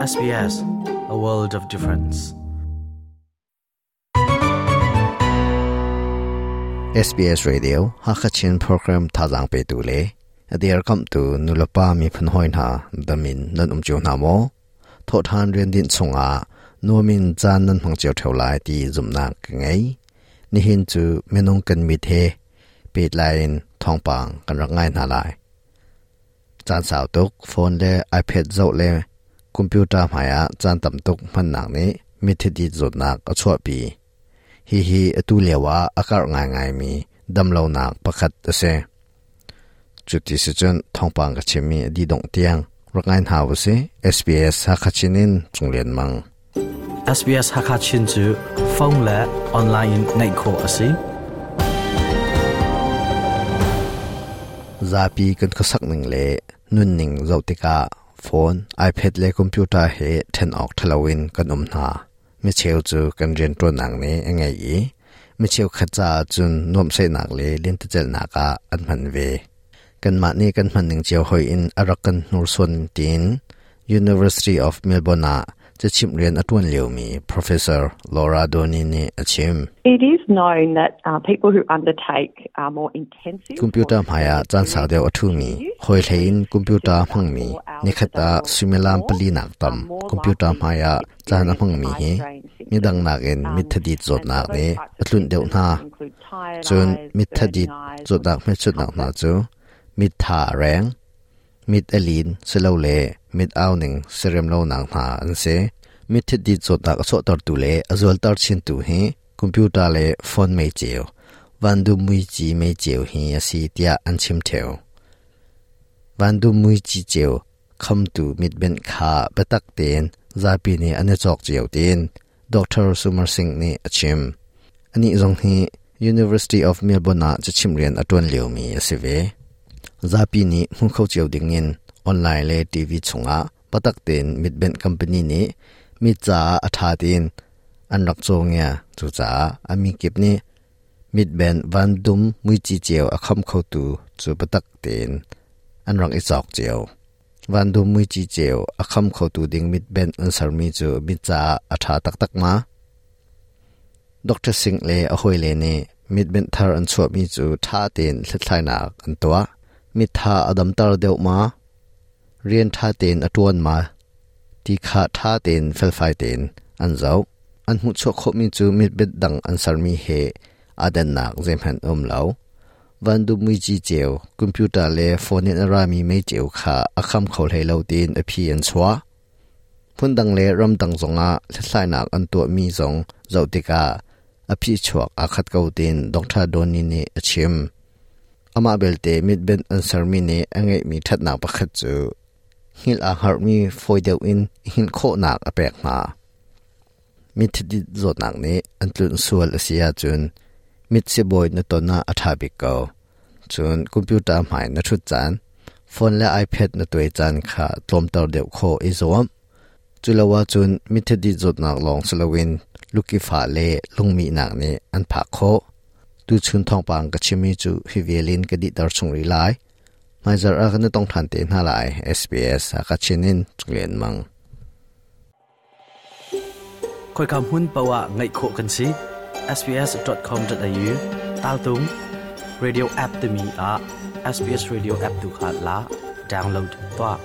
SBS, a world of difference. SBS Radio Hakachin program thazang pe tu le adir kam tu nulapa mi phun hoi hna damin nan um chiu hna maw tho than rian din chunga nuamin caan nan hmang cio theu lai ti zumnak ka ngei nihin cu minung kan mit he pet lain thawngpang kan rak ngai hna lai caan sau tuk phone le iPad zoh le computer hmaiah caan tam tuk hmannak nih mithidit zawtnak a chuahpi. Hihi atu lio ah a karh ngaingaimi damlonak pakhat a si. Cuti si cun thawngpang ka chimmi a dih dongh tiang rak ngai hna usih. SBS Hakha Chin in Cung Lian Mang. SBS Hakha Chin cu phone le online in ngaih khawh a si. Zapi kan khuasak ning le nunning zoh tikah phone, iPad le computer he ṭhen awk ṭhalo in kan um hna. Micheu cu kan rianṭuannak nih a ngei i micheu khat caah cun nuamhsaihnak le lentecelhnak ah an hman ve. Kanmah nih kan hmanning cio hoi in a rak kan hnursuan tiin University of Melbourne ah cachimh rian a ṭuan liomi Professor Laura Donny nih a chim. It is known that people who undertake more intensive Computer hmaiah caan sau deuh a ṭhumi, hawi hlei in computer hmangmi, nikhat ah suimilam pali nak tam computer hmaiah caan a hmangmi hi midang nakin mitthadit zawtnak nih a tlunh deuh hna. Cun mitthadit zawtnak hmelchunhnak hna cu mit tha a reng, mit a lin silole mit au ning siarem lonak hna an si. Mitthadit zawtnak a chuahtertu le a zualter chintu hi computer le phone meiceu, vandum muici meiceu hi a si tiah an chim ṭheo. Vandum muici ceu khamtu mitbenh kha biatak tein zapi nih an i cawk cio tiin Dr. Sumar Singh nih a chim. Anih zong hi University of Melbourne ah cachimh rian a ṭuan liomi a si ve. Zapi nih hmu kho cio dingin online le TV chungah biatak tein mitbenh company nih mit caah a ṭha tiin an rak caw ngia. Cucaah a mikip nih mitbenh vandum muici ceu a kham khotu cu biatak tein an rak i cawk cio. Vandum muici ceu a kham khotu ding mitbenh an sermi cu mit caah a ṭha taktak ma? Dr. Singh le a hawile nih mitbenh thar an chuahmi cu ṭha tein hlathlainak an tuah. Mit tha a damter deuh ma? Rian ṭha tein a ṭuan ma? Ti kha ṭha tein felfai tein an zoh. An hmuhchuah khawhmi cu mitbenh dang an sermi he aa dannak zeihmanh a um lo. Vandum muici ceu, computer le phone in a rami meiceu kha a kham kho hlei lo tiin a phi an chuah. Phundang le ramdang zongah hlathlainak an tuahmi zong zoh tikah a phichuak aa khat ko tiin Dr. Donny nih a chim. Amah belte mitbenh an sermi nih a ngeihmi ṭhatnak pakhat cu hngilh aa hngarhmi fawi deuh in i hngilh khawhnak a pek hna. Mitthidit zawtnak nih an tlunh sual a si ahcun mit sibawi na ton ah a ṭha bik ko. Cun computer hmai na ṭhut caan, phone le iPad na tuai caan kha tlawmter deuh khawh i zuam. Culo ahcun mitthidit zawtnak lawng si loin lukifah le lungmihnak nih an phak khawh. Tuchun thawngpang ka chimmi cu hi vial in ka dihter chung rih lai. Hmaizarh ah kan i tong ṭhan te hna lai. SBS Hakachin in Cung Mang. Khoika hmun paoh ah ngaih khawh kan si. sbs.com.au taltung radio app timi ah SBS radio app tu kha la download tuah.